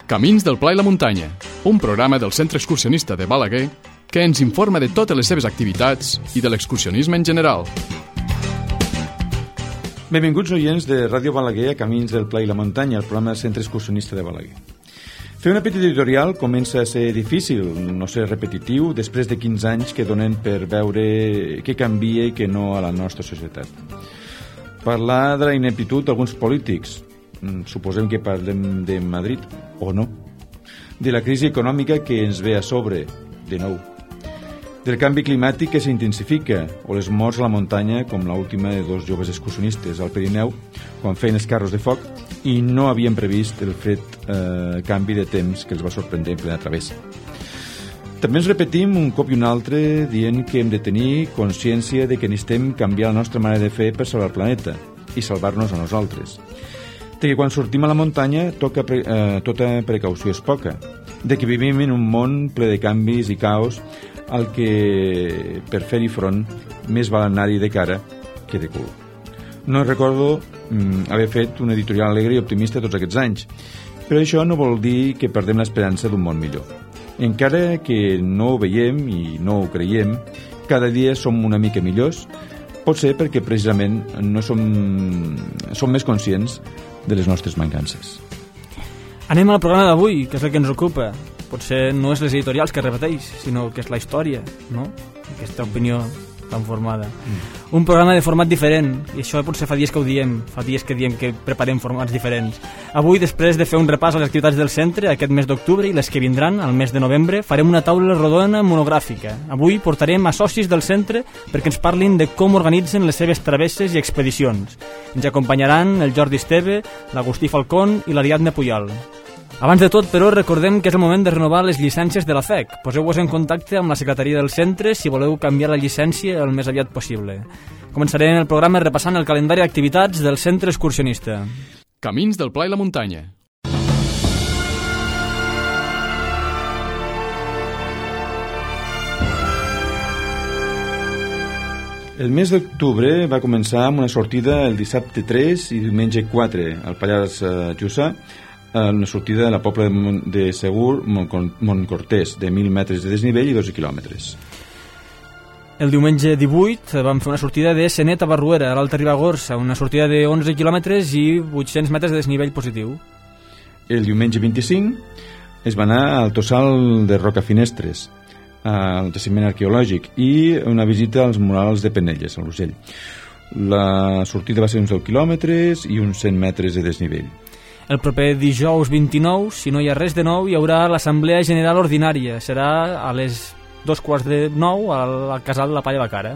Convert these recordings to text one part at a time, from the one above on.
Camins del Pla i la Muntanya, un programa del Centre Excursionista de Balaguer que ens informa de totes les seves activitats i de l'excursionisme en general. Benvinguts oients de Ràdio Balaguer a Camins del Pla i la Muntanya, el programa del Centre Excursionista de Balaguer. Fer una petita editorial comença a ser difícil, no ser repetitiu, després de 15 anys que donen per veure què canvia i què no a la nostra societat. Parlar de la ineptitud d'alguns polítics, suposem que parlem de Madrid, o no. De la crisi econòmica que ens ve a sobre, de nou. Del canvi climàtic que s'intensifica, o les morts a la muntanya, com l'última de dos joves excursionistes al Pirineu, quan feien els carros de foc, i no havien previst el fred canvi de temps que els va sorprendre en plena travessa. També ens repetim un cop i un altre dient que hem de tenir consciència de que necessitem canviar la nostra manera de fer per salvar el planeta i salvar-nos a nosaltres. De que quan sortim a la muntanya tota precaució és poca. De que vivim en un món ple de canvis i caos al que per fer-hi front més val anar-hi de cara que de cul. No recordo haver fet una editorial alegre i optimista tots aquests anys, però això no vol dir que perdem l'esperança d'un món millor. Encara que no ho veiem i no ho creiem, cada dia som una mica millors, pot ser perquè precisament no som més conscients de les nostres mancances. Anem al programa d'avui, que és el que ens ocupa. Potser no és les editorials que repeteix, sinó que és la història, no? Aquesta opinió tan formada. Un programa de format diferent, i això potser fa dies que ho diem, fa dies que diem que preparem formats diferents. Avui, després de fer un repàs a les activitats del centre aquest mes d'octubre i les que vindran al mes de novembre, farem una taula rodona monogràfica. Avui portarem a socis del centre perquè ens parlin de com organitzen les seves travesses i expedicions. Ens acompanyaran el Jordi Esteve, l'Agustí Falcón i l'Ariadna Puyol. Abans de tot, però, recordem que és el moment de renovar les llicències de la FEC. Poseu-vos en contacte amb la secretaria del centre si voleu canviar la llicència el més aviat possible. Començarem el programa repassant el calendari d'activitats del centre excursionista. Camins del Pla i la Muntanya. El mes d'octubre va començar amb una sortida el dissabte 3 i diumenge 4 al Pallars Jussà, una sortida de la Pobla de Segur Montcortès, de 1.000 metres de desnivell i 12 quilòmetres. El diumenge 18 vam fer una sortida de Senet a Barruera, a l'Alta Ribagorça, una sortida de 11 quilòmetres i 800 metres de desnivell positiu. El diumenge 25 es va anar al Tossal de Rocafinestres, al jaciment arqueològic, i una visita als murals de Penelles, a l'Urgell. La sortida va ser uns 10 quilòmetres i uns 100 metres de desnivell. El proper dijous 29, si no hi ha res de nou, hi haurà l'Assemblea General Ordinària. Serà a les 8:45 al Casal de la Palla de la Cara.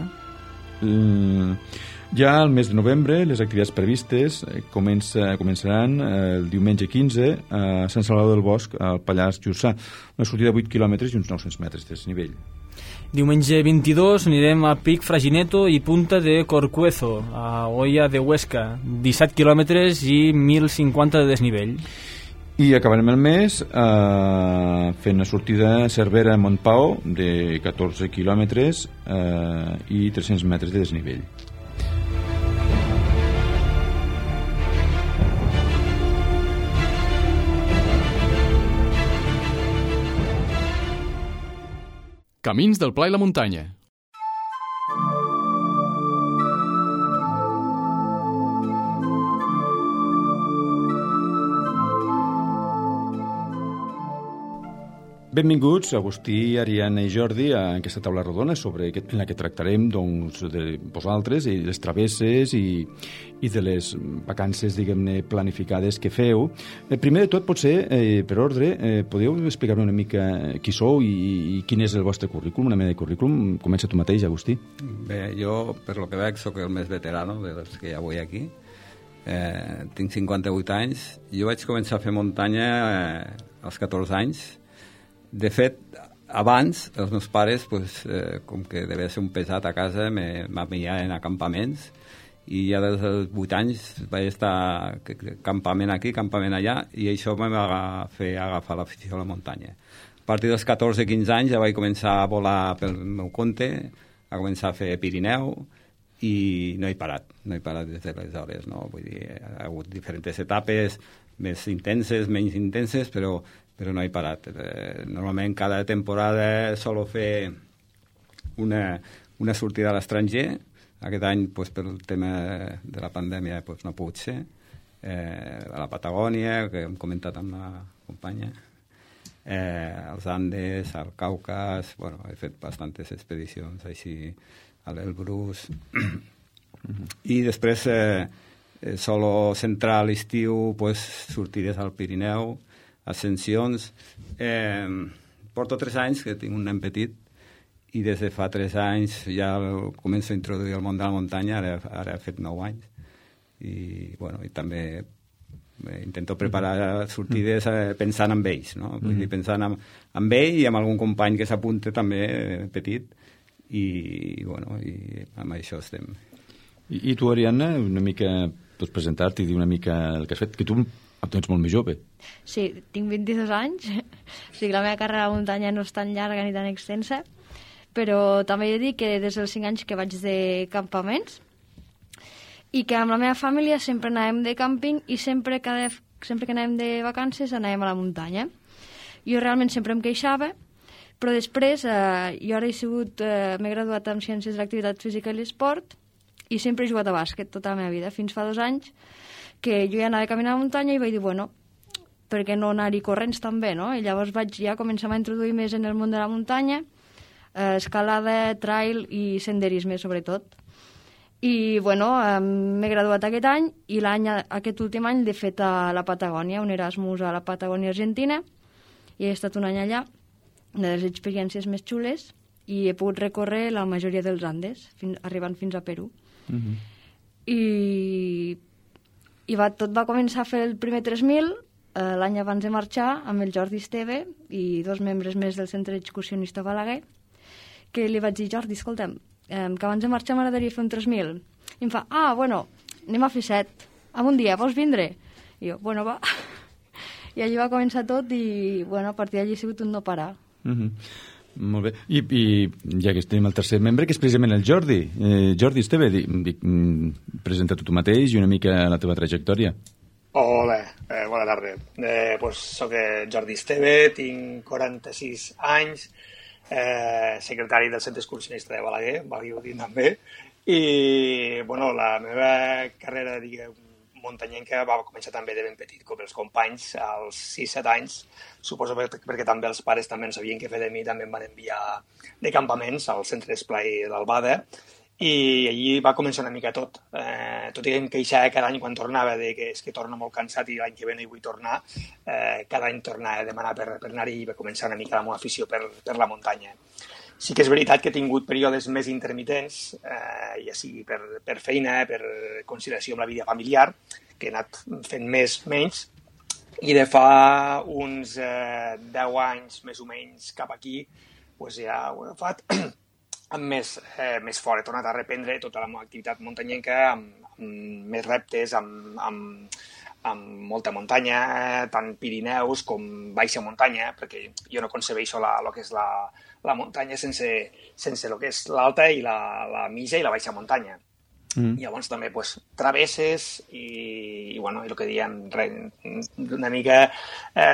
Ja al mes de novembre les activitats previstes començaran el diumenge 15 a Sant Salvador del Bosc, al Pallars Jussà, una sortida de 8 quilòmetres i uns 900 metres de desnivell. Diumenge 22 anirem a Pic Fragineto i Punta de Corcuezo, a Olla de Huesca, 17 quilòmetres i 1.050 de desnivell. I acabarem el mes fent una sortida a Cervera a Montpau de 14 quilòmetres i 300 metres de desnivell. Camins del Pla i la Muntanya. Benvinguts, Agustí, Ariadna i Jordi, a aquesta taula rodona en la que tractarem doncs, de vosaltres i les travesses i de les vacances, diguem-ne, planificades que feu. Primer de tot, potser, per ordre, podeu explicar-me una mica qui sou i quin és el vostre currículum, una mena de currículum? Comença tu mateix, Agustí. Bé, jo, per lo que veig, soc el més veterano dels que ja vull aquí. Tinc 58 anys. Jo vaig començar a fer muntanya als 14 anys. De fet, abans, els meus pares, com que devia ser un pesat a casa, m'enviaven a campaments, i ja des dels 8 anys vaig estar campament aquí, campament allà, i això em va fer agafar l'afició a la muntanya. A partir dels 14-15 anys ja vaig començar a volar pel meu compte, a començar a fer Pirineu, i no he parat des d'aleshores, no? Vull dir, ha hagut diferents etapes, més intenses, menys intenses, però no he parat. Normalment cada temporada solo fer una sortida a l'estranger. Aquest any, per el tema de la pandèmia, no ha pogut ser. A la Patagònia, que hem comentat amb la companya, als Andes, al Caucas, he fet bastantes expedicions així a l'Elbrus. I després solo centrar a l'estiu sortides al Pirineu, ascensions. Porto 3 anys que tinc un nen petit i des de fa 3 anys ja començo a introduir el món de la muntanya, ara he fet 9 anys. I també intento preparar sortides pensant en ells, no? Vull dir, pensant en ell i amb algun company que s'apunta també petit i amb això estem. I tu, Ariadna, una mica pots presentar-te i dir una mica el que has fet, que tu ets molt més jove. Sí, tinc 22 anys, o sigui, la meva carrera a la muntanya no és tan llarga ni tan extensa, però també he de dir que des dels 5 anys que vaig de campaments i que amb la meva família sempre anàvem de càmping i sempre que anàvem de vacances anàvem a la muntanya. Jo realment sempre em queixava, però després jo ara m'he graduat en Ciències de l'Activitat Física i l'Esport i sempre he jugat a bàsquet tota la meva vida, fins fa 2 anys que jo ja anava a caminar a la muntanya i vaig dir, per què no anar-hi corrents també, no? I llavors vaig ja començar a introduir més en el món de la muntanya, escalada, trail i senderisme, sobretot. I, m'he graduat aquest any i aquest últim any l'he fet a la Patagònia, un Erasmus a la Patagònia Argentina, i he estat un any allà, una de les experiències més xules, i he pogut recórrer la majoria dels Andes, arribant fins a Perú. I tot va començar a fer el primer 3.000 l'any abans de marxar amb el Jordi Esteve i 2 membres més del Centre Excursionista Balaguer, que li vaig dir, Jordi, escolta'm, que abans de marxar m'agradaria fer un 3.000. I em fa, anem a fer 7, en un dia, vols vindre? I jo, va. I allí va començar tot i, a partir d'allí ha sigut un no parar. Molt bé. I ja que estem el tercer membre, que és precisament el Jordi. Jordi Esteve, presenta tu mateix i una mica la teva trajectòria. Hola, bona tarda. Soc Jordi Esteve, tinc 46 anys, secretari del Centre Excursionista de Balaguer, valgui-ho dir també, i la meva carrera, muntanyenca va començar també de ben petit, com els companys, als 6-7 anys, suposo perquè també els pares també no sabien què fer de mi, també em van enviar de campaments al centre d'esplai d'Albada, i allí va començar una mica tot. Tot i que em queixava cada any quan tornava que és que torno molt cansat i l'any que ve no hi vull tornar, cada any tornava a demanar per anar-hi i va començar una mica la meva afició per la muntanya. Sí que és veritat que he tingut períodes més intermitents, ja sigui per feina, per conciliació amb la vida familiar, que he anat fent menys, i de fa uns 10 anys, més o menys, cap aquí, ja ho he agafat amb més fort. He tornat a reprendre tota la meva activitat muntanyenca amb més reptes, amb molta muntanya, tant Pirineus com baixa muntanya, perquè jo no concebeixo el que és la muntanya sense el que és l'alta i la mitja i la baixa muntanya. Llavors també travesses i el que diem, una mica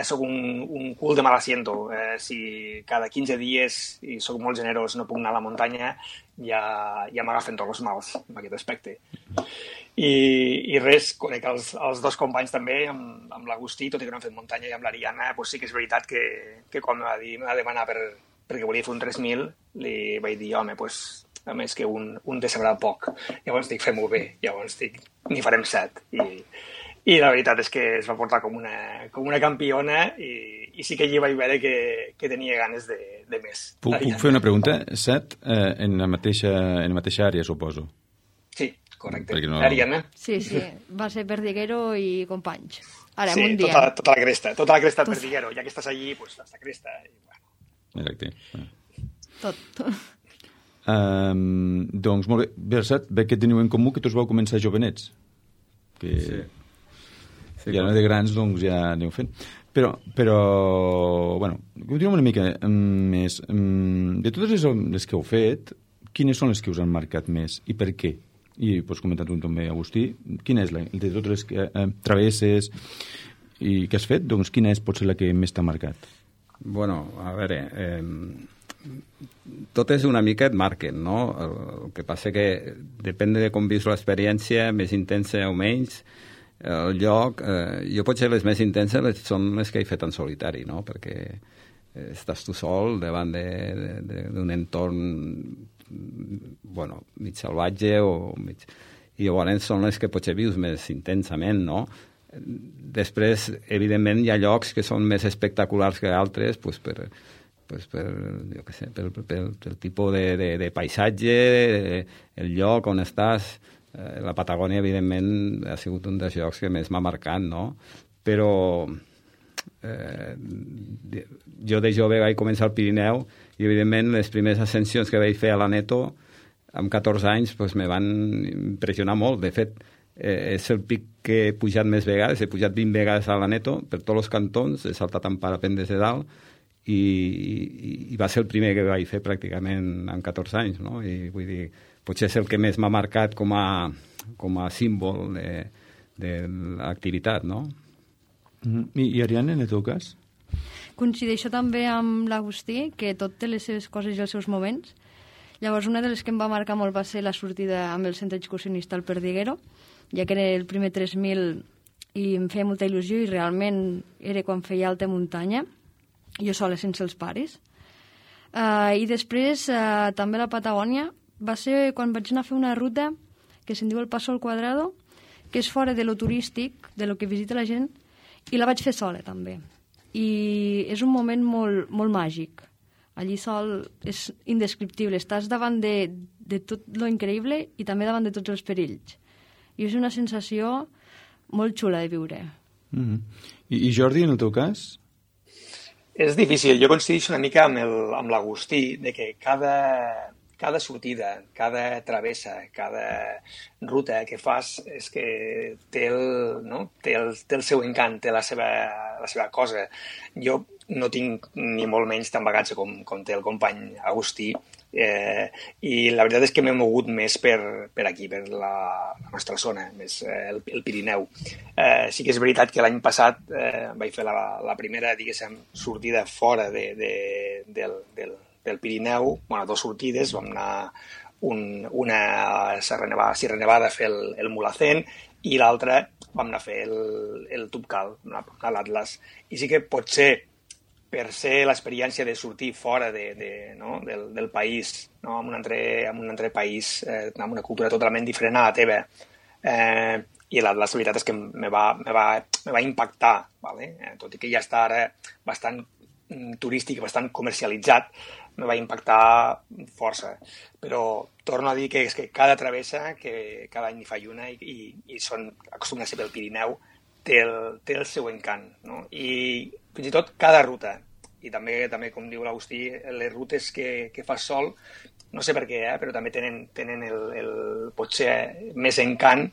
soc un cul de mal asiento. Si cada 15 dies, i soc molt generós, no puc anar a la muntanya, ja m'agafen tots els mals en aquest aspecte. I res, conec els 2 companys també, amb l'Agustí, tot i que no hem fet muntanya, i amb l'Ariadna, sí que és veritat que quan m'ha de demanar perquè volia fer un 3.000, li vaig dir, home, a més que un decebrà poc. Llavors dic, fem-ho bé. Llavors dic, n'hi farem 7. I la veritat és que es va portar com una campiona i sí que allí vaig veure que tenia ganes de més. Puc fer una pregunta? 7 en la mateixa àrea, suposo. Sí, correcte. No... Ariadna? Sí, va ser Perdiguero i companys. Ara, sí, un dia. Tota la cresta de Perdiguero. Ja que estàs allí, la cresta. Exacte. Tot. Doncs molt bé, Bersat, veig que teniu en comú que tots vau començar jovenets, que sí, ja no de grans doncs ja aneu fent, però continuem una mica més. De totes les que heu fet, quines són les que us han marcat més i per què? I pots comentar tu també, Agustí, quina és de totes les travesses i que has fet, doncs quina és potser la que més t'ha marcat? Bueno, a veure, tot és una mica et marquen, no? El que passa que depèn de com vius l'experiència, més intensa o menys, el lloc, jo potser les més intenses són les que he fet en solitari, no? Perquè estàs tu sol davant d'un entorn bueno, mig salvatge o mig... I llavors són les que potser vius més intensament, no? Després, evidentment, hi ha llocs que són més espectaculars que altres, doncs jo què sé, pel tipus de paisatge, el lloc on estàs. La Patagònia, evidentment, ha sigut un dels llocs que més m'ha marcat, no? Però jo de jove vaig començar al Pirineu i, evidentment, les primeres ascensions que vaig fer a l'Aneto, amb 14 anys, doncs, me van impressionar molt. De fet, és el pic que he pujat més vegades, he pujat 20 vegades a l'Aneto, per tots els cantons, he saltat en parapent des de dalt, i va ser el primer que vaig fer pràcticament amb 14 anys, no? I vull dir, potser és el que més m'ha marcat com a símbol de l'activitat, no? I Ariadna, en el teu cas? Coincideixo també amb l'Agustí, que tot té les seves coses i els seus moments. Llavors, una de les que em va marcar molt va ser la sortida amb el centre excursionista al Perdiguero, ja que era el primer 3.000 i em feia molta il·lusió i realment era quan feia alta muntanya, jo sola sense els pares. I després, també a la Patagònia, va ser quan vaig anar a fer una ruta que se'n diu el Paso al Cuadrado, que és fora de lo turístic, de lo que visita la gent, i la vaig fer sola, també. I és un moment molt, molt màgic. Allí sol és indescriptible. Estàs davant de tot lo increïble i també davant de tots els perills. I és una sensació molt xula de viure. I Jordi, en el teu cas? És difícil. Jo coincideixo una mica amb l'Agustí, de que cada sortida, cada travessa, cada ruta que fas és que té el seu encant, té la seva cosa. Jo no tinc ni molt menys tan bagatge com té el company Agustí, i la veritat és que m'he mogut més per aquí, per la nostra zona, més el Pirineu. Sí que és veritat que l'any passat vaig fer la primera, diguéssim, sortida fora del Pirineu, bueno, 2 sortides, vam anar una a Sierra Nevada a fer el Mulhacén i l'altra vam anar a fer el Tubcal, a l'Atlas. I sí que potser per ser l'experiència de sortir fora del país, no? en un altre país, amb una cultura totalment diferent a la teva. I l'Atlas, la veritat és que me va impactar, ¿vale? Tot i que ja està ara bastant turístic, bastant comercialitzat, me va impactar força. Però torno a dir que és que cada travessa, que cada any hi faig una i acostuma a ser pel Pirineu, té el seu encant, no? I fins i tot cada ruta, i també com diu l'Agustí, les rutes que fas sol, no sé per què, però també tenen el potser més encant,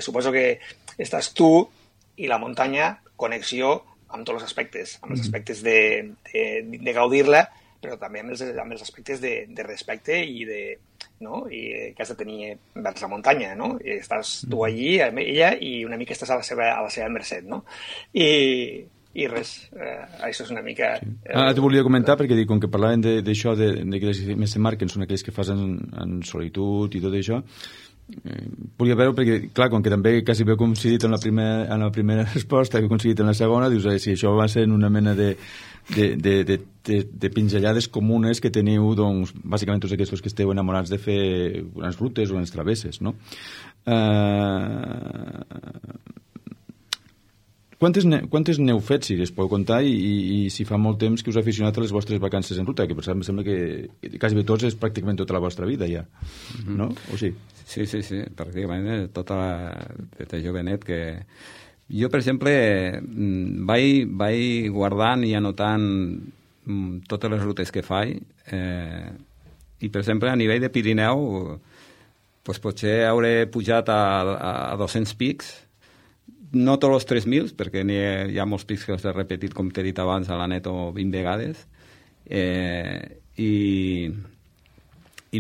suposo que estàs tu i la muntanya, connexió amb tots els aspectes, amb els aspectes de gaudir-la, però també amb els aspectes de respecte i que has de tenir vers la muntanya, no? I estàs tu allí, amb ella, i una mica estàs a la seva mercè, no? I res, això és una mica... Sí. Te volia comentar, perquè com que parlaven d'això, de que les més se marquen són aquelles que fas en solitud i tot això, volia veure, perquè clar, com que també quasi veu coincidit en la primera resposta, que coincidit en la segona, dius, si això va ser una mena de pinzellades comunes que teniu, doncs, bàsicament tots aquests que esteu enamorats de fer unes rutes o unes travesses, no? Quantes n'heu fet, si es podeu contar, i si fa molt temps que us ha aficionat a les vostres vacances en ruta, que per exemple sembla que quasi bé tots és pràcticament tota la vostra vida ja, no? O sí? Sí, pràcticament tota des de jovenet que... Jo, per exemple, vaig guardant i anotant totes les rutes que faig, i, per exemple, a nivell de Pirineu, doncs potser hauré pujat a 200 pics, no tots els 3.000, perquè hi ha molts pics que els he repetit, com t'he dit abans, a l'Aneto 20 vegades, i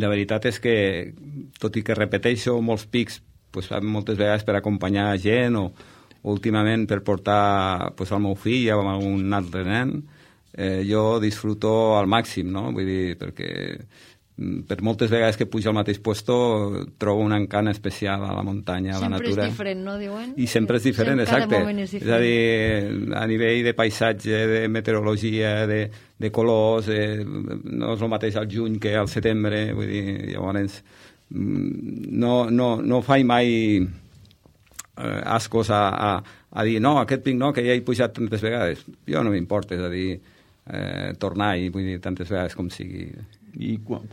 la veritat és que, tot i que repeteixo molts pics, doncs, moltes vegades per acompanyar gent últimament per portar el meu fill o algun altre nen, jo disfruto al màxim, no? Vull dir, perquè per moltes vegades que pujo al mateix puesto trobo un encant especial a la muntanya, a la natura. Sempre és diferent, no, diuen? I sempre és diferent, exacte. És a dir, a nivell de paisatge, de meteorologia, de colors, no és el mateix al juny que al setembre, vull dir, llavors no faig mai ascos a dir, no, aquest pic no, que ja he pujat tantes vegades. Jo no m'importa, és a dir, tornar-hi, vull dir, tantes vegades com sigui. I quan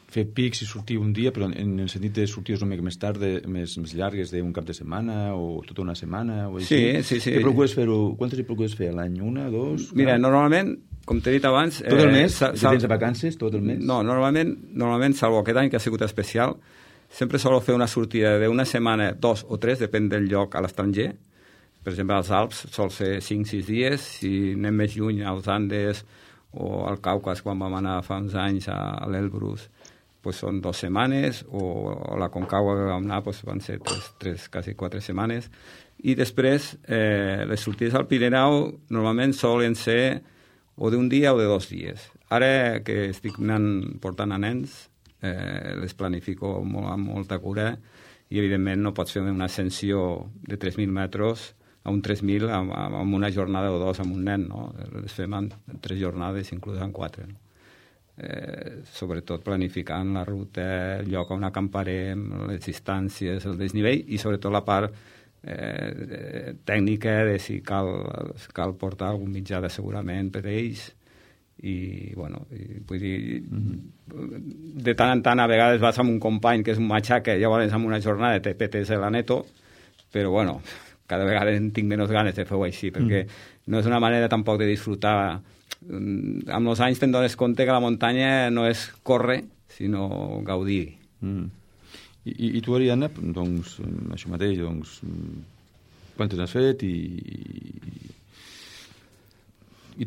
fer pics i sortir un dia, però en el sentit de sortir una mica més tard, més llargues, d'un cap de setmana o tota una setmana o així. Sí. Què procures fer-ho? Quantes hi procures fer? A l'any? Una, dos? Mira, normalment, com t'he dit abans... Tot el mes? Tens de vacances tot el mes? No, normalment, salvo aquest any que ha sigut especial, sempre solo fer una sortida d'una setmana, 2 o 3, depèn del lloc, a l'estranger. Per exemple, als Alps sol ser 5-6 dies, si anem més lluny, als Andes o al Caucas, quan vam anar fa uns anys a l'Elbrus, pues són 2 setmanes, o a la Concagua que vam anar pues van ser 3, quasi 4 setmanes. I després, les sortides al Pirineu normalment solen ser o d'un dia o de 2 dies. Ara que estic portant a nens, les planifico amb molta cura i, evidentment, no pots fer una ascensió de 3.000 metres a un 3.000 amb una jornada o 2 amb un nen, no? Les fem en 3 jornades, inclús en 4, no? Sobretot planificant la ruta, el lloc on acamparem, les distàncies, el desnivell i sobretot la part tècnica de si cal portar algun mitjà d'assegurament per ells i, vull dir, de tant en tant a vegades vas amb un company que és un matxaca, llavors amb una jornada te petes la neto, però cada vegada en tinc menys ganes de fer-ho així, perquè no és una manera tampoc de disfrutar. Amb els anys te'n dones compte que la muntanya no és córrer, sinó gaudir. I tu, Ariadna, doncs, això mateix, doncs, quantes has fet i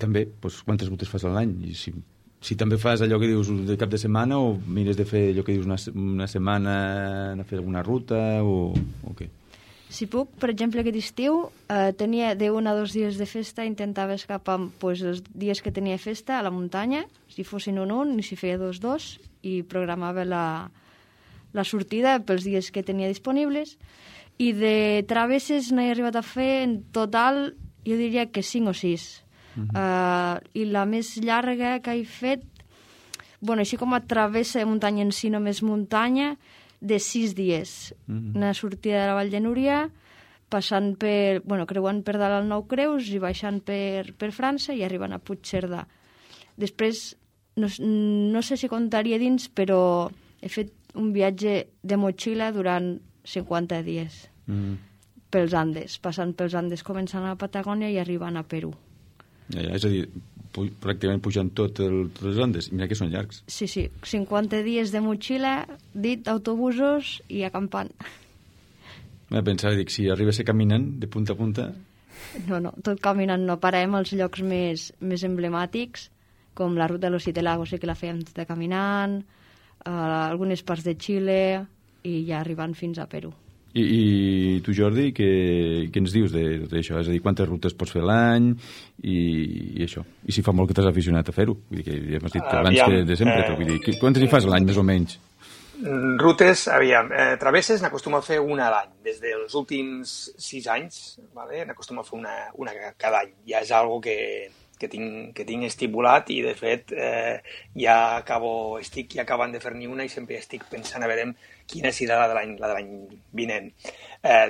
també, doncs, quantes rutes fas a l'any? I si també fas allò que dius de cap de setmana o mires de fer allò que dius una setmana a fer alguna ruta o què? Si puc, per exemple, aquest estiu tenia de 1 a 2 dies de festa, intentava escapar els dies que tenia festa a la muntanya, si fossin un, i si feia 2, i programava la sortida pels dies que tenia disponibles. I de travesses n'he arribat a fer en total, jo diria que 5 o 6. I la més llarga que he fet, així com a travessa de muntanya en si, només muntanya, de 6 dies. Una sortida de la Vall de Núria, passant creuant per dalt al Nou Creus i baixant per França i arribant a Puigcerdà. Després, no sé si contaria dins, però he fet un viatge de motxilla durant 50 dies pels Andes, passant pels Andes, començant a Patagònia i arribant a Perú. És a dir, pràcticament pujant tots els Andes. Mira que són llargs. Sí, 50 dies de motxilla, autobusos i acampant. Pensava, si arriba a ser caminant de punta a punta... No, tot caminant no. Parem als llocs més emblemàtics, com la ruta de los 7 lagos, que la fèiem tota caminant, algunes parts de Xile i ja arribant fins a Perú. I tu, Jordi, què ens dius d'això? És a dir, quantes rutes pots fer l'any i això? I si fa molt que t'has aficionat a fer-ho? Vull dir que ja m'has dit que abans que de sempre, però vull dir, quantes hi fas a l'any, més o menys? Rutes, travesses n'acostumo a fer una a l'any. Des dels últims 6 anys, n'acostumo a fer una cada any. Ja és algo que tinc estipulat i, de fet, estic acabant de fer-ne una i sempre estic pensant a veure quina serà la de l'any vinent.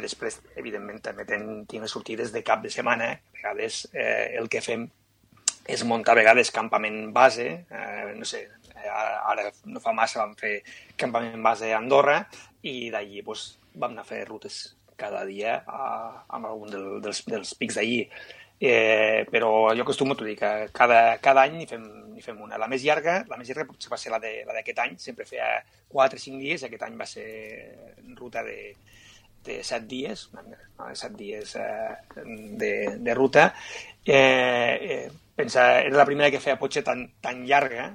Després, evidentment, també tinc les sortides de cap de setmana. A vegades el que fem és muntar a vegades campament base, no sé, ara no fa massa vam fer campament base a Andorra i d'allí vam anar a fer rutes cada dia amb algun dels pics d'allí. Però jo acostumo a dir que cada any n'hi fem una. La més llarga potser va ser la d'aquest any, sempre feia 4 o 5 dies, aquest any va ser ruta de 7 dies, no, 7 dies de ruta. Pensa, era la primera que feia potser tan llarga,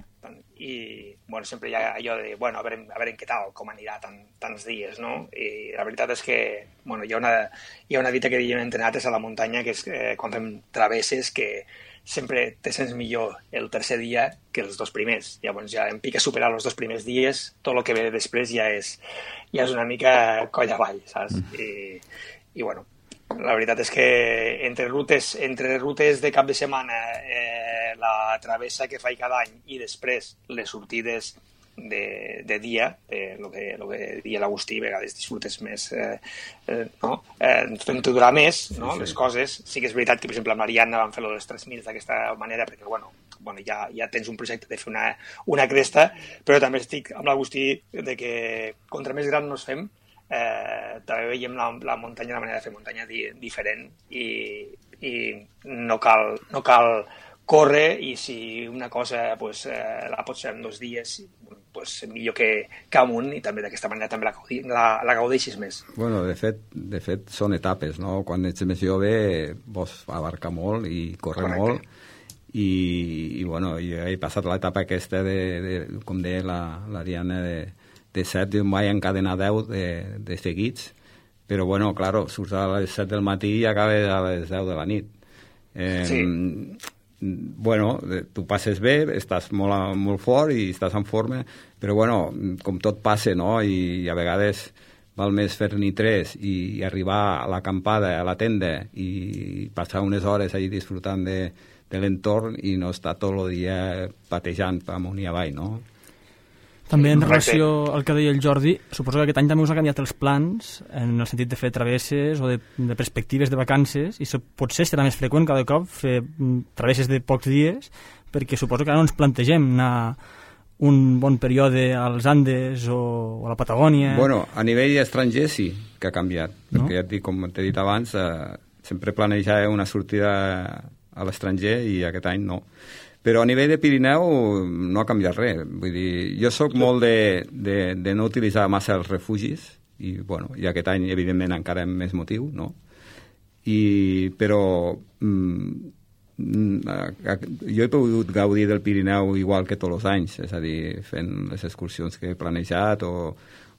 i bueno, sempre hi ha allò de, bueno, a veure què tal, com anirà tants dies, no? I la veritat és que bueno, hi ha una dita que havíem entrenat a la muntanya, que és quan fem travesses, que sempre te sents millor el tercer dia que els 2 primers. Llavors ja em pica superar els 2 primers dies, tot el que ve després ja és una mica coll avall, saps? I bueno, la veritat és que entre rutes de cap de setmana, la travessa que faig cada any i després les sortides de dia, el que diria l'Agustí, a vegades disfrutes més, fent-ho durar més, no? Sí. Les coses. Sí que és veritat que, per exemple, a Mariana vam fer-lo dels 3.000 d'aquesta manera, perquè, bueno, ja tens un projecte de fer una cresta, però també estic amb l'Agustí de que contra més gran nos fem, també veiem la muntanya, la manera de fer muntanya diferent, i no cal córrer, i si una cosa la pots fer en 2 dies, millor que amunt, i també d'aquesta manera també la gaudeixis més. Bueno, de fet són etapes, no? Quan ets més jove vols abarcar molt i córrer molt, i bueno, jo he passat l'etapa aquesta com deia la Diana, de 7, jo em vaig encadenar 10 de seguits, però bueno, claro, surts a les 7 del matí i acabes a les 10 de la nit. Sí. Bueno, tu passes bé, estàs molt fort i estàs en forma, però bueno, com tot passa, no? I a vegades val més fer-n'hi 3 i arribar a l'acampada, a la tenda, i passar unes hores allà disfrutant de l'entorn i no estar tot el dia patejant amunt i avall, no? També en relació al que deia el Jordi, suposo que aquest any també us ha canviat els plans en el sentit de fer travesses o de perspectives de vacances, i potser serà més freqüent cada cop fer travesses de pocs dies, perquè suposo que ara no ens plantegem anar un bon període als Andes o a la Patagònia. Bueno, a nivell estranger sí que ha canviat, perquè ja et dic, com t'he dit abans, sempre planejava una sortida a l'estranger i aquest any no. Però a nivell de Pirineu no ha canviat res. Vull dir, jo sóc molt de no utilitzar massa els refugis, i bueno, i aquest any, evidentment, encara amb més motiu, no? Però jo he pogut gaudir del Pirineu igual que tots els anys, és a dir, fent les excursions que he planejat o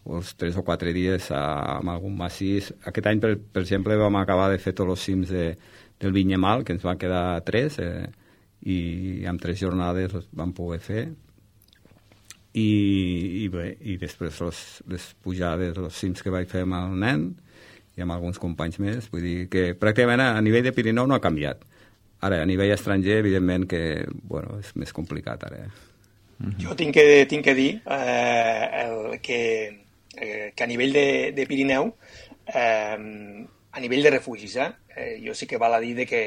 els 3 o 4 dies amb algun massís. Aquest any, per exemple, vam acabar de fer tots els cims del Vinyamal, que ens van quedar 3, i amb 3 jornades les vam poder fer, i després les pujades, els cims que vaig fer amb el nen i amb alguns companys més. Vull dir que pràcticament a nivell de Pirineu no ha canviat. Ara, a nivell estranger, evidentment que bueno, és més complicat ara. Jo tinc que dir que a nivell de Pirineu, a nivell de refugis, jo sí que val a dir que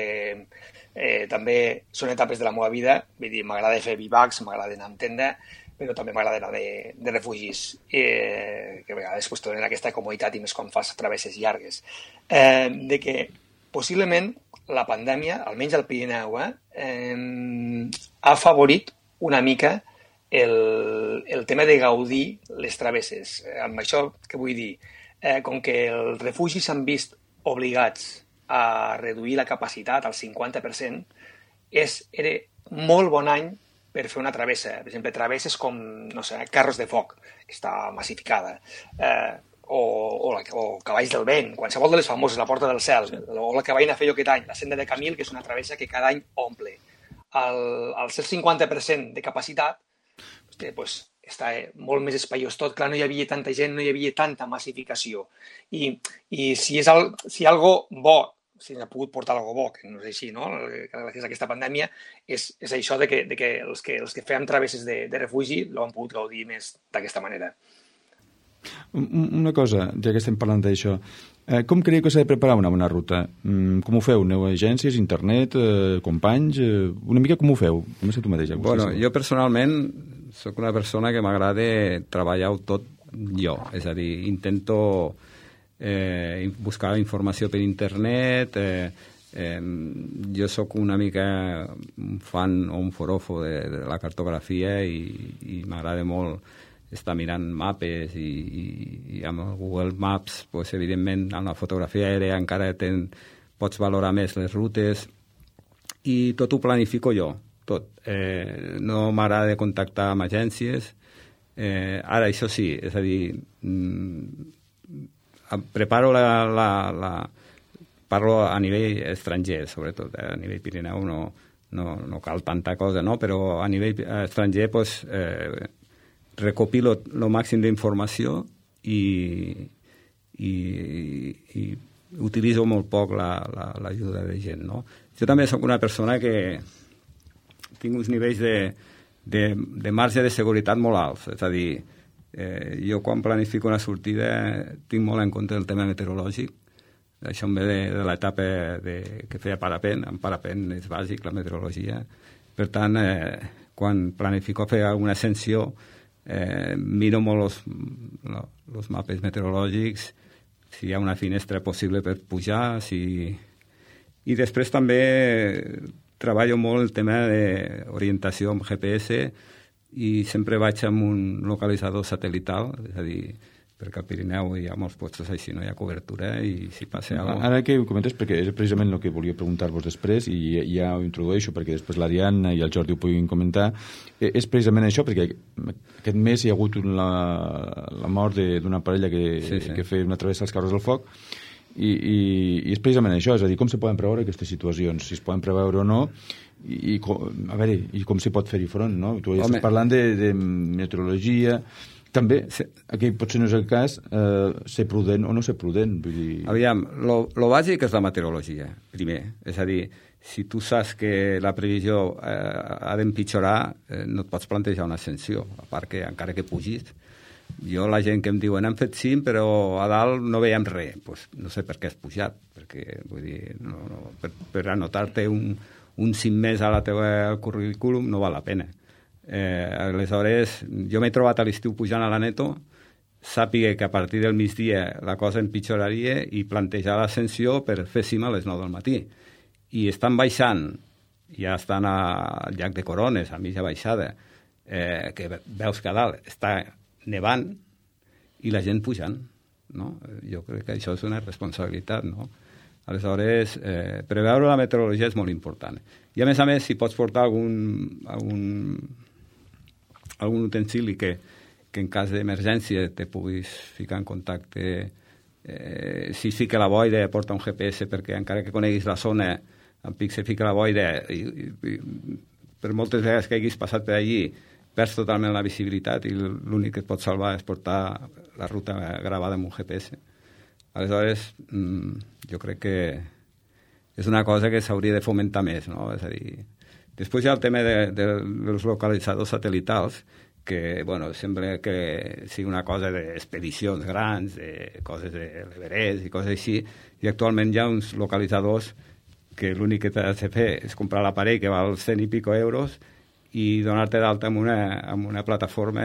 també són etapes de la meva vida. Vull dir, m'agrada fer bivacs, m'agrada anar amb tenda, però també m'agrada anar de refugis, que a vegades te donen aquesta comoditat i més quan fas travesses llargues. De que possiblement la pandèmia, almenys al Pirineu, ha afavorit una mica el tema de gaudir les travesses. Amb això què vull dir? Com que els refugis s'han vist obligats a reduir la capacitat al 50%, era molt bon any per fer una travessa. Per exemple, travesses com, no sé, Carros de Foc, que està massificada, o Cavalls del Vent, qualsevol de les famoses, la Porta del Cel, o la que vaig anar a fer jo aquest any, la Senda de Camil, que és una travessa que cada any omple. Al ser 50% de capacitat, està molt més espaiós tot. Clar, no hi havia tanta gent, no hi havia tanta massificació. I si hi ha algo bo, si n'ha pogut portar alguna bo, que no és així, no? Gràcies a aquesta pandèmia, és això de que els que fèiem travesses de refugi l'han pogut gaudir més d'aquesta manera. Una cosa, ja que estem parlant d'això, com creieu que s'ha de preparar una bona ruta? Com ho feu? Aneu a agències, internet, companys? Una mica com ho feu? Comença tu mateix. Bueno, jo personalment sóc una persona que m'agrada treballar-ho tot jo, és a dir, intento buscar informació per internet. Jo sóc una mica un fan o un forofo de la cartografia, i m'agrada molt està mirant mapes i amb el Google Maps, pues, evidentment, amb la fotografia aèria encara pots valorar més les rutes i tot ho planifico jo, tot. No m'agrada contactar amb agències. Ara, això sí, és a dir, preparo parlo a nivell estranger, sobretot, a nivell Pirineu no cal tanta cosa, no? Però a nivell estranger pues, recopilo el màxim d'informació i utilitzo molt poc l'ajuda de gent, no? Jo també soc una persona que tinc uns nivells de marge de seguretat molt alts, és a dir, jo quan planifico una sortida tinc molt en compte el tema meteorològic. Això em ve de l'etapa que feia parapent. En parapent és bàsic, la meteorologia. Per tant, quan planifico fer alguna ascensió, miro molt els mapes meteorològics, si hi ha una finestra possible per pujar, i després també treballo molt el tema d'orientació amb GPS i sempre vaig amb un localitzador satelital, és a dir, perquè al Pirineu hi ha molts puestos així, no hi ha cobertura i si passa alguna cosa... Ara que ho comentes, perquè és precisament el que volia preguntar-vos després i ja ho introdueixo perquè després l'Ariadna i el Jordi ho puguin comentar, és precisament això, perquè aquest mes hi ha hagut la mort d'una parella que feia una travessa als carros del foc i és precisament això, és a dir, com se poden preveure aquestes situacions, si es poden preveure o no i com se pot fer-hi front, no? Tu ja estàs parlant de meteorologia. També, aquí potser no és el cas, ser prudent o no ser prudent. Vull dir... Aviam, lo bàsic és la meteorologia, primer. És a dir, si tu saps que la previsió ha d'empitjorar, no et pots plantejar una ascensió, a part que encara que pugis. Jo, la gent que em diuen, hem fet cim, però a dalt no veiem res. Pues, no sé per què has pujat, perquè, vull dir, per anotar-te un cim més a la teva currículum no val la pena. Aleshores, jo m'he trobat a l'estiu pujant a l'Aneto, sàpiga que a partir del migdia la cosa empitjoraria i plantejar l'ascensió per fer cima a les 9 del matí. I estan baixant, ja estan al llac de Corones, a mitja baixada, que veus que a dalt està nevant i la gent pujant, no? Jo crec que això és una responsabilitat, no? Aleshores, preveure la meteorologia és molt important. I a més, si pots portar algun utensili que en cas d'emergència te puguis ficar en contacte, si es fica la boira, porta un GPS perquè encara que coneguis la zona, en pic se fica la boira i per moltes vegades que haguis passat per allí perds totalment la visibilitat i l'únic que et pot salvar és portar la ruta gravada amb un GPS. Aleshores, jo crec que és una cosa que s'hauria de fomentar més, no? És a dir, després hi ha el tema dels localitzadors satelitals, que, bueno, sembla que sigui una cosa d'expedicions grans, de coses de l'Everest i coses així, i actualment hi ha uns localitzadors que l'únic que t'has de fer és comprar l'aparell que val 100 i pico euros i donar-te d'alta amb una plataforma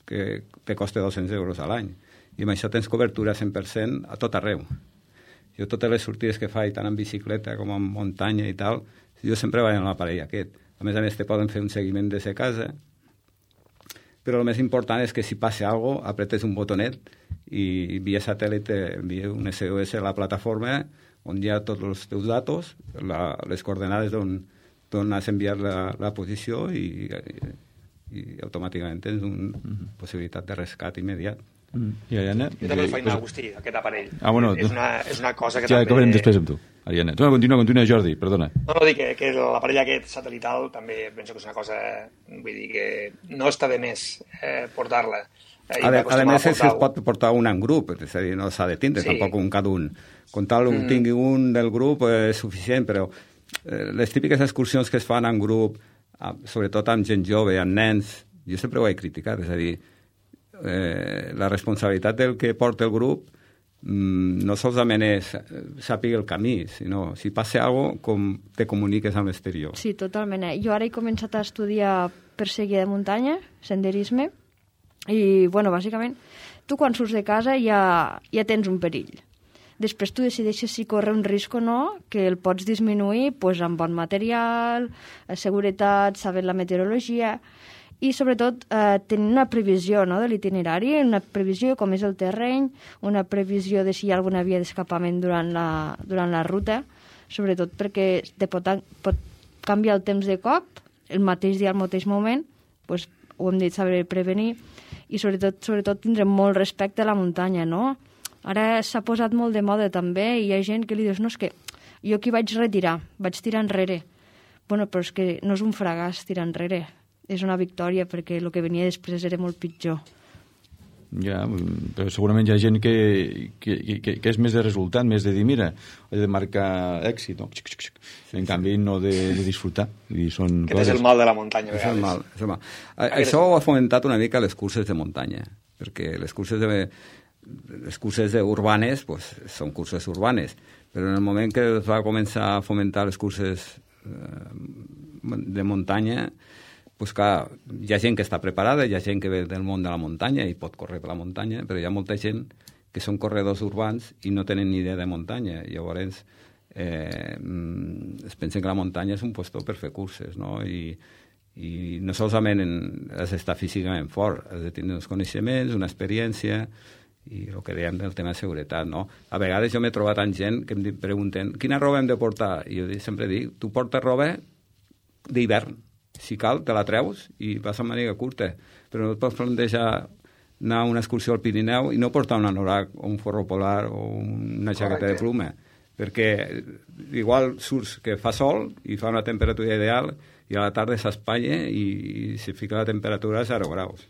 que te costa 200 euros a l'any. I amb això tens cobertura 100% a tot arreu. Jo totes les sortides que faig, tant en bicicleta com en muntanya i tal, jo sempre vaig amb l'aparell aquest. A més, te poden fer un seguiment des de casa, però el més important és que si passa alguna cosa, apretes un botonet i via satèl·lit envia un SOS a la plataforma on hi ha tots els teus datos, les coordenades d'on has enviat la posició i automàticament tens una possibilitat de rescat immediat. I Ariadna? Jo també el faig anar, Agustí, aquest aparell. Bueno, és una cosa que ja també... Ja acabarem després amb tu, Ariadna. Continua, Jordi, perdona. No, dic que l'aparell aquest satelital també penso que és una cosa, vull dir que no està de més portar-la. A més, es pot portar un en grup, és a dir, no s'ha de tindre tampoc un cada un. Com tal, tingui un del grup és suficient, però les típiques excursions que es fan en grup, sobretot amb gent jove, amb nens, jo sempre ho he criticat, és a dir, la responsabilitat del que porta el grup no solament és sàpiga el camí, sinó si passa alguna cosa, com te comuniques amb l'exterior. Sí, totalment. Jo ara he començat a estudiar perseguida de muntanya, senderisme, i, bueno, bàsicament, tu quan surts de casa ja tens un perill. Després tu decideixes si corre un risc o no, que el pots disminuir pues, amb bon material, seguretat, sabent la meteorologia. i sobretot tenir una previsió, no?, de l'itinerari, una previsió com és el terreny, una previsió de si hi ha alguna via d'escapament durant la ruta, sobretot perquè pot canviar el temps de cop, el mateix dia, al mateix moment, doncs, ho hem dit, saber prevenir, i sobretot tindre molt respecte a la muntanya, no? Ara s'ha posat molt de moda també, i hi ha gent que li dius, no, és que jo aquí vaig retirar, vaig tirar enrere. Bueno, però és que no és un fracàs tirar enrere, és una victòria, perquè el que venia després era molt pitjor. Ja, però segurament hi ha gent que és més de resultat, més de dir, mira, he de marcar èxit, no? En canvi, no de disfrutar. Aquest és el mal de la muntanya. És el mal. Això ho ha fomentat una mica les curses de muntanya, perquè les curses urbanes pues, són curses urbanes, però en el moment que es va començar a fomentar les curses de muntanya, pues clar, hi ha gent que està preparada, hi ha gent que ve del món de la muntanya i pot córrer per la muntanya, però hi ha molta gent que són corredors urbans i no tenen ni idea de muntanya. Llavors, es pensen que la muntanya és un lloc per fer curses, no? I no solament has d'estar físicament fort, has de tenir uns coneixements, una experiència, i el que dèiem del tema de seguretat, no? A vegades jo m'he trobat amb gent que em pregunten quina roba hem de portar? I jo sempre dic, tu portes roba d'hivern. Si cal, te la treus i vas amb màniga curta. Però no et pots plantejar anar a una excursió al Pirineu i no portar un anorac o un forro polar o una jaqueta de pluma. Perquè igual surts que fa sol i fa una temperatura ideal i a la tarda s'espanya i se fica la temperatura a 0 graus.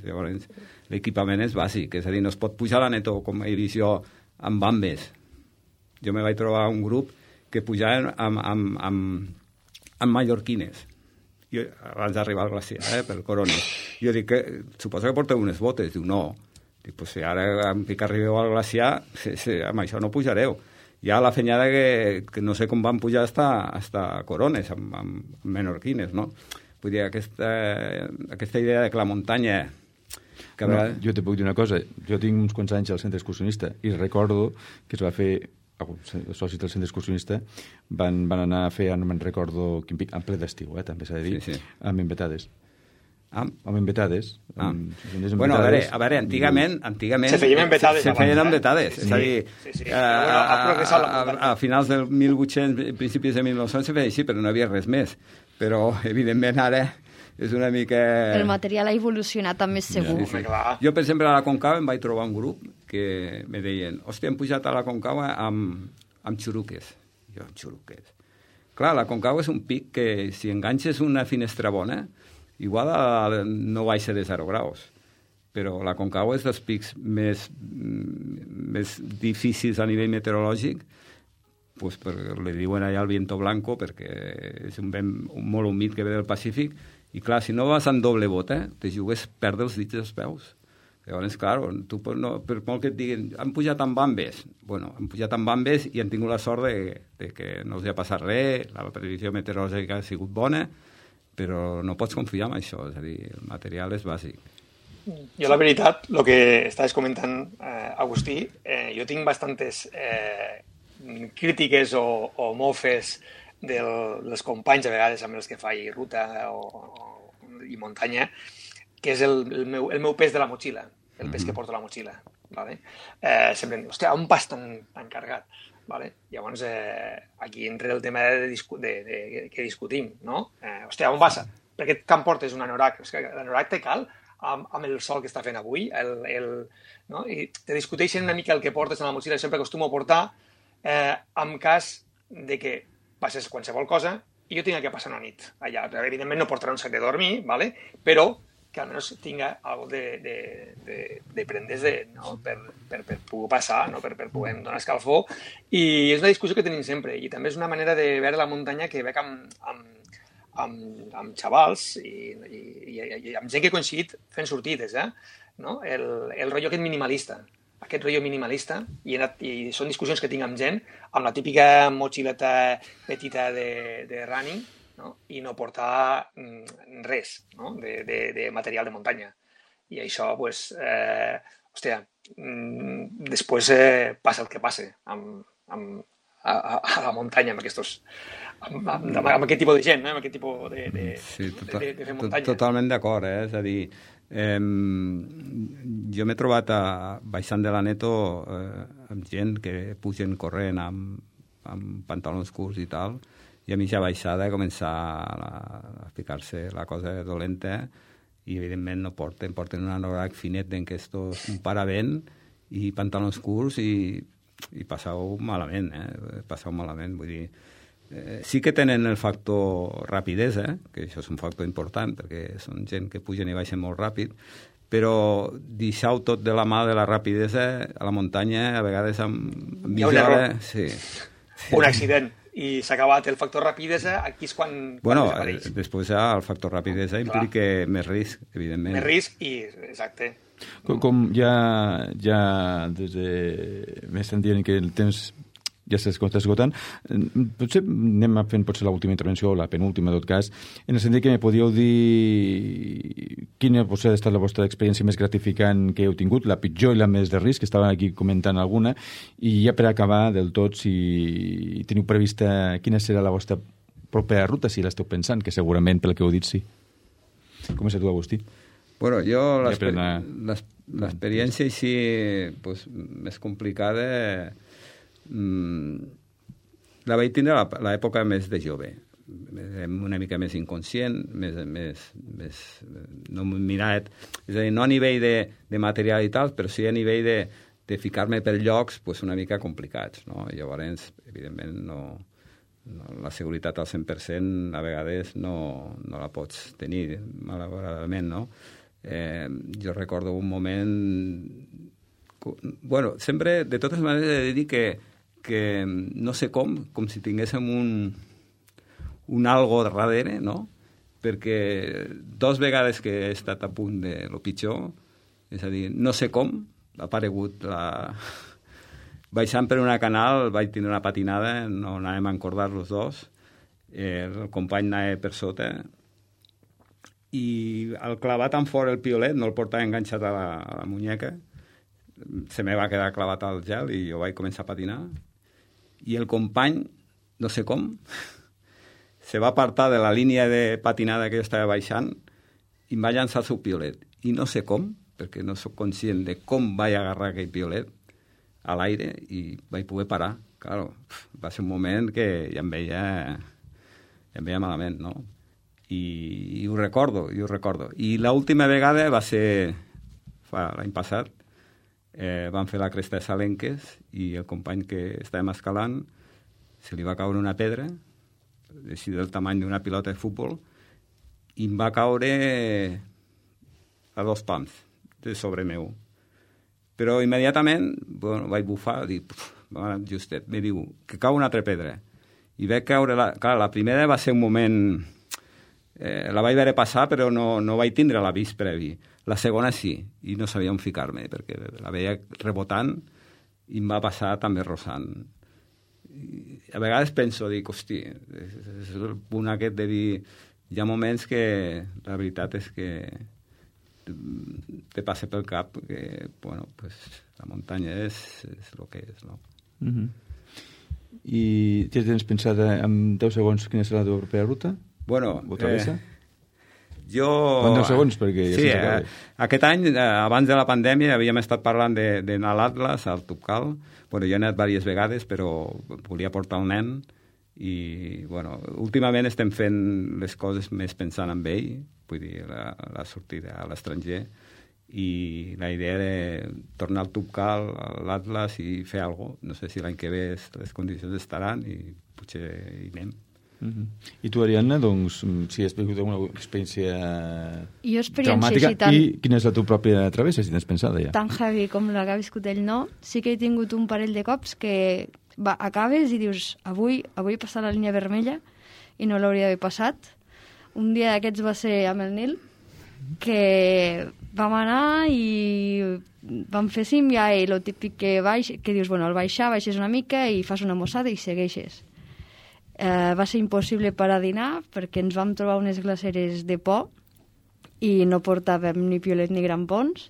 Llavors, l'equipament és bàsic, és a dir, no es pot pujar a la netó, com he vist jo, amb bambes. Jo me vaig trobar un grup que pujaven amb mallorquines. Jo, abans d'arribar al glaciar, pel Corones. Jo dic, suposo que porteu unes botes. Diu, no. Dic, pues si ara que arribeu al glaciar, amb això no pujareu. Hi ha la fenyada que no sé com van pujar hasta Corones, amb menorquines, no? Vull dir, aquesta idea de que la muntanya... Jo te puc dir una cosa. Jo tinc uns quants anys al centre excursionista i recordo que es va fer... els socis del centre excursionista van anar a fer, no me'n recordo quin pic, en ple d'estiu, també s'ha de dir, sí. Amb embetades. Amb embetades. Bueno, a veure, antigament... Se feien embetades. Se feien embetades. És a dir, a finals del 1800, principis de 1900 se feia així, però no havia res més. Però, evidentment, ara és una mica... El material ha evolucionat també segur. Sí. Jo, per exemple, a la Concava em vaig trobar un grup que me deien, hòstia, hem pujat a la Concava amb xuruques. Jo, amb xuruques. Clar, la Concava és un pic que si enganxes una finestra bona, igual no baixa de 0 graus. Però la Concagua és dels pics més difícils a nivell meteorològic, pues, li diuen allà el viento blanco, perquè és un vent molt humit que ve del Pacífic, i clar, si no vas amb doble bota, te jugues perdre els dits dels peus. Llavors, clar, tu no, per molt que et diguin, han pujat amb bambes. Bueno, han pujat amb bambes i han tingut la sort de que no els ha passat res, la previsió meteorològica ha sigut bona, però no pots confiar en això, és a dir, el material és bàsic. Jo, la veritat, el que estaves comentant, Agustí, jo tinc bastantes crítiques o mofes dels companys, a vegades, amb els que faig ruta i muntanya, que és el meu pes de la motxilla, el pes que porto a la motxilla. Vale? Sempre em diu, hòstia, on vas tan carregat? Vale? Llavors, aquí entra el tema que discutim, no? Hòstia, on vas? Per què em portes un anorac? L'anorac té cal amb el sol que està fent avui, no? I te discuteixen una mica el que portes a la motxilla. Sempre acostumo a portar en cas de que passes qualsevol cosa i jo tinc que passar una nit allà. Evidentment no portaré un sac de dormir, ¿vale? Però que almenys tinga alguna de prendes no? per poder passar, no? per poder donar escalfor. I és una discussió que tenim sempre. I també és una manera de veure la muntanya que veig amb xavals i amb gent que he coincidit fent sortides, no? El rotllo aquest minimalista. Aquest rotllo minimalista, i són discussions que tinc amb gent, amb la típica motxileta petita de running, no? I no portar res, no? de material de muntanya. I això, pues, hòstia, després passa el que passa amb a la muntanya amb aquest tipus de gent, amb aquest tipus de fer muntanya. Totalment d'acord, És a dir, jo m'he trobat baixant de l'Aneto amb gent que pugen corrent amb pantalons curts i tal, i a mitja baixada començar a ficar-se la cosa dolenta i evidentment no porten un anorac finet d'enquestos, un paravent i pantalons curts i passeu malament, passeu malament, vull dir, sí que tenen el factor rapidesa, que això és un factor important perquè són gent que pugen i baixen molt ràpid, però deixeu tot de la mà de la rapidesa a la muntanya, a vegades amb mitja hora. Sí. Un accident i s'ha acabat el factor rapidesa, aquí és quan desapareix. Després el factor rapidesa implica més risc, evidentment. Més risc i, exacte. Com ja des de... m'estan dient que el temps ja s'està esgotant, potser anem fent l'última intervenció o la penúltima, en tot cas, en el sentit que me podíeu dir quina potser ha estat la vostra experiència més gratificant que heu tingut, la pitjor i la més de risc, que estava aquí comentant alguna, i ja per acabar del tot, si teniu prevista quina serà la vostra propera ruta, si l'esteu pensant, que segurament pel que heu dit sí. Comença tu, Agustí. Bueno, jo l'experiència així més complicada la vaig tindre a l'època més de jove, una mica més inconscient, més no mirat, és a dir, no a nivell de material i tal, però sí a nivell de ficar-me per llocs una mica complicats, no? Llavors, evidentment, la seguretat al 100% a vegades no la pots tenir, malauradament, no? Jo recordo un moment... Bueno, sempre, de totes maneres, he de dir que no sé com si tinguéssim un algo darrere, no? Perquè 2 vegades que he estat a punt de lo pitjor, és a dir, no sé com, ha aparegut baixant per una canal, vaig tenir una patinada, no anàvem a encordar los dos, el company anava per sota, i al clavar tan fort el piolet, no el portava enganxat a la muñeca, se me va quedar clavat al gel i jo vaig començar a patinar, i el company, no sé com, se va apartar de la línia de patinada que jo estava baixant i em va llançar el seu piolet. I no sé com, perquè no sóc conscient de com vaig agarrar aquell piolet a l'aire i vaig poder parar. Claro, va ser un moment que ja em veia malament, no? I ho recordo. I l'última vegada va ser l'any passat, van fer la cresta de Salenques i el company que estàvem escalant se li va caure una pedra així del tamany d'una pilota de futbol i em va caure a 2 pams de sobre meu, però immediatament vaig bufar, dic, justet, me diu que cau una altra pedra i veig caure, clar, la primera va ser un moment la vaig veure passar però no vaig tindre l'avís previ. La segona sí, i no sabia on ficar-me, perquè la veia rebotant i em va passar també rossant. I a vegades penso, dic, hosti, és el punt aquest de dir, hi ha moments que la veritat és que te passa pel cap que, bueno, pues, la muntanya és el que és, no? I ja tens pensat en 10 segons quina serà la teva propera ruta? Bueno, jo... En 10 segons, perquè ja sí, aquest any, abans de la pandèmia, havíem estat parlant d'anar a l'Atlas, al Tubcal. Bueno, jo he anat diverses vegades, però volia portar el nen i, bueno, últimament estem fent les coses més pensant en ell, vull dir, la sortida a l'estranger, i la idea de tornar al Tubcal, a l'Atlas i fer alguna cosa. No sé si l'any que ve les condicions estaran i potser hi anem. I tu, Ariadna, doncs, si has tingut alguna experiència traumàtica, i quina és la teva pròpia travessa, si tens pensada ja? Tan heavy com la que ha viscut ell, no. Sí que he tingut un parell de cops que acabes i dius, avui he passat la línia vermella i no l'hauria d'haver passat. Un dia d'aquests va ser amb el Nil, que vam anar i vam fer símbia i el típic que dius, bueno, al baixes una mica i fas una mossada i segueixes. Va ser impossible per a dinar perquè ens vam trobar unes glaceres de por i no portàvem ni piolet ni grampons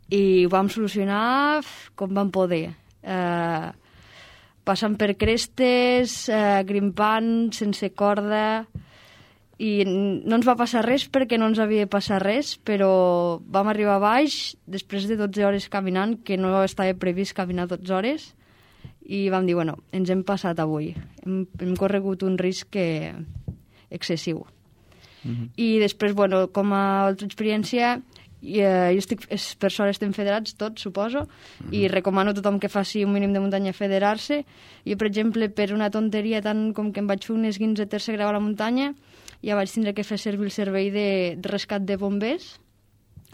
i ho vam solucionar com vam poder. passant per crestes, grimpant, sense corda, i no ens va passar res perquè no ens havia de passar res, però vam arribar a baix després de 12 hores caminant, que no estava previst caminar 12 hores, i vam dir, bueno, ens hem passat avui. Hem corregut un risc excessiu. I després, bueno, com a altra experiència, per sort estem federats tots, suposo, i recomano a tothom que faci un mínim de muntanya federar-se. Jo, per exemple, per una tonteria tant com que em vaig fer un esguinç de tercer grau a la muntanya, ja vaig tindre que fer servir el servei de rescat de bombers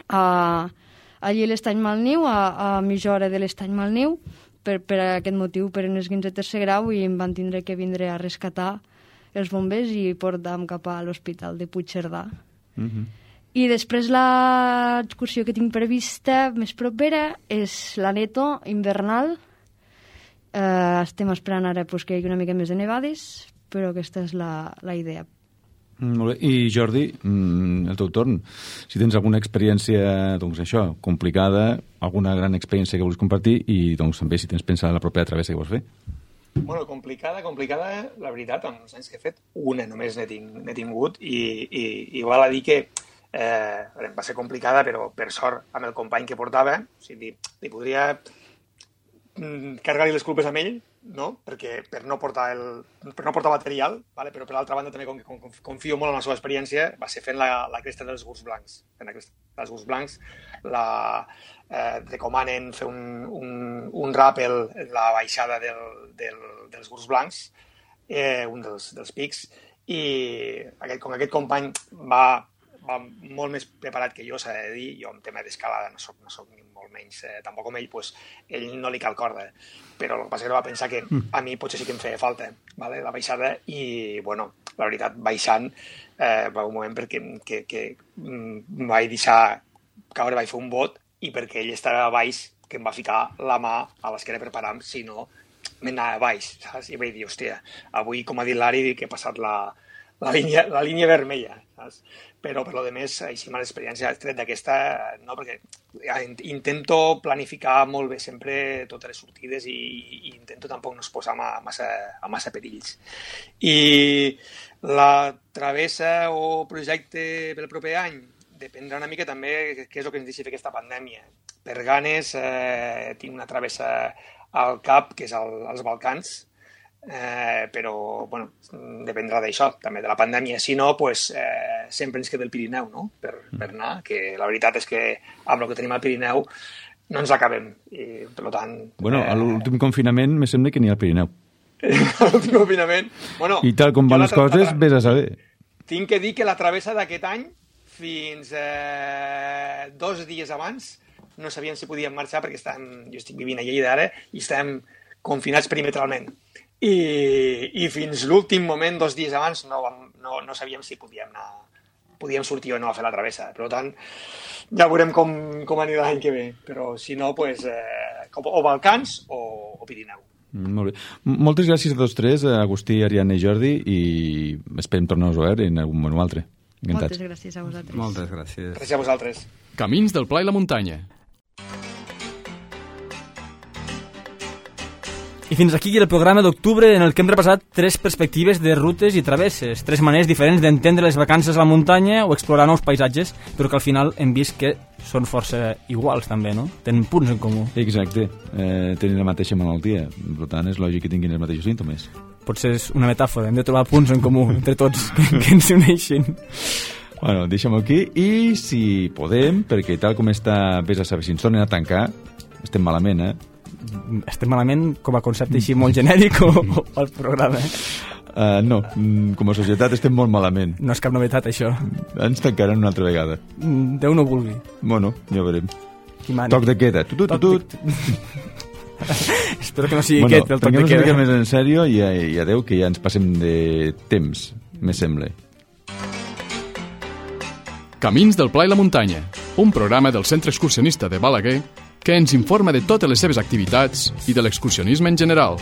allí a l'Estany Malniu, a mitja hora de l'Estany Malniu, per aquest motiu, per un esguinç de tercer grau, i em van tindre que vindre a rescatar els bombers i portar-me cap a l'hospital de Puigcerdà. I després l'excursió que tinc prevista més propera és l'Aneto invernal. Estem esperant ara que hi hagi una mica més de nevades, però aquesta és la idea. Molt bé. I Jordi, el teu torn, si tens alguna experiència, doncs això, complicada, alguna gran experiència que vols compartir, i doncs també si tens pensat la propera travessa que vols fer. Bueno, complicada, la veritat, amb els anys que he fet, una només n'he tingut, i val a dir que va ser complicada, però per sort amb el company que portava, o sigui, li podria carregar-li les culpes amb ell, no? Perquè per no portar material, vale? Però per l'altra banda també confio molt en la seva experiència, va ser fent la cresta dels Gurs Blancs. Fent la cresta dels Gurs Blancs recomanen fer un ràpel en la baixada dels Gurs Blancs, un dels pics, i com aquest company va molt més preparat que jo, s'ha de dir. Jo en tema d'escalada no soc ni molt menys, tampoc com ell, doncs ell no li cal corda, però el que passa és que va pensar que a mi potser sí que em feia falta, vale? La baixada, i bueno, la veritat, baixant va un moment que em vaig deixar caure, vaig fer un bot, i perquè ell estava a baix, que em va ficar la mà a l'esquena per parar-me, si no m'anava a baix, saps? I vaig dir, hòstia, avui, com ha dit l'Ari, que he passat la línia vermella, saps? Però per lo de més, així mala experiència tret d'aquesta, no, perquè intento planificar molt bé sempre totes les sortides i intento tampoc no posar a massa perills. I la travessa o projecte pel proper any dependrà una mica també què és el que ens deixi fer aquesta pandèmia. Per ganes tinc una travessa al cap, que és als Balcans, però bueno, dependrà d'això, també de la pandèmia. Si no, pues, sempre ens queda el Pirineu, no? Per anar, que la veritat és que amb el que tenim al Pirineu no ens acabem, i per tant... Bueno, a l'últim confinament me sembla que n'hi ha al Pirineu. A l'últim confinament... Bueno, i tal com van les coses, vés a saber. Tinc que dir que la travessa d'aquest any, fins 2 dies abans, no sabíem si podíem marxar, perquè jo estic vivint a Lleida ara, i estem confinats perimetralment. I fins l'últim moment, 2 dies abans, no sabíem si podíem sortir o no a fer la travessa. Per tant, ja veurem com anirà l'any que ve. Però si no, pues, o Balcans o Pirineu. Molt bé. Moltes gràcies a tots tres, Agustí, Ariadna i Jordi, i esperem tornar-nos a veure en algun moment o altre. Encantats. Moltes gràcies a vosaltres. Moltes gràcies. Gràcies a vosaltres. Camins del Pla i la Muntanya. I fins aquí el programa d'octubre, en el que hem repassat 3 perspectives de rutes i travesses, 3 maneres diferents d'entendre les vacances a la muntanya o explorar nous paisatges, però que al final hem vist que són força iguals també, no? Tenen punts en comú. Exacte, tenen la mateixa malaltia, per tant és lògic que tinguin els mateixos símptomes. Potser és una metàfora, hem de trobar punts en comú entre tots que ens uneixin. Bueno, deixem-ho aquí, i si podem, perquè tal com està, vés a saber si ens tornen a tancar, estem malament, Estem malament com a concepte així molt genèric o el programa? No, com a societat estem molt malament. No és cap novetat, això. Ens tancaran una altra vegada. Déu no vulgui. Bueno, ja veurem. Toc de queda. Espero que no sigui aquest el toc de queda. Prenguem-nos una mica més en sèrio i adeu, que ja ens passem de temps, me sembla. Camins del Pla i la Muntanya, un programa del Centre Excursionista de Balaguer que ens informa de totes les seves activitats i de l'excursionisme en general.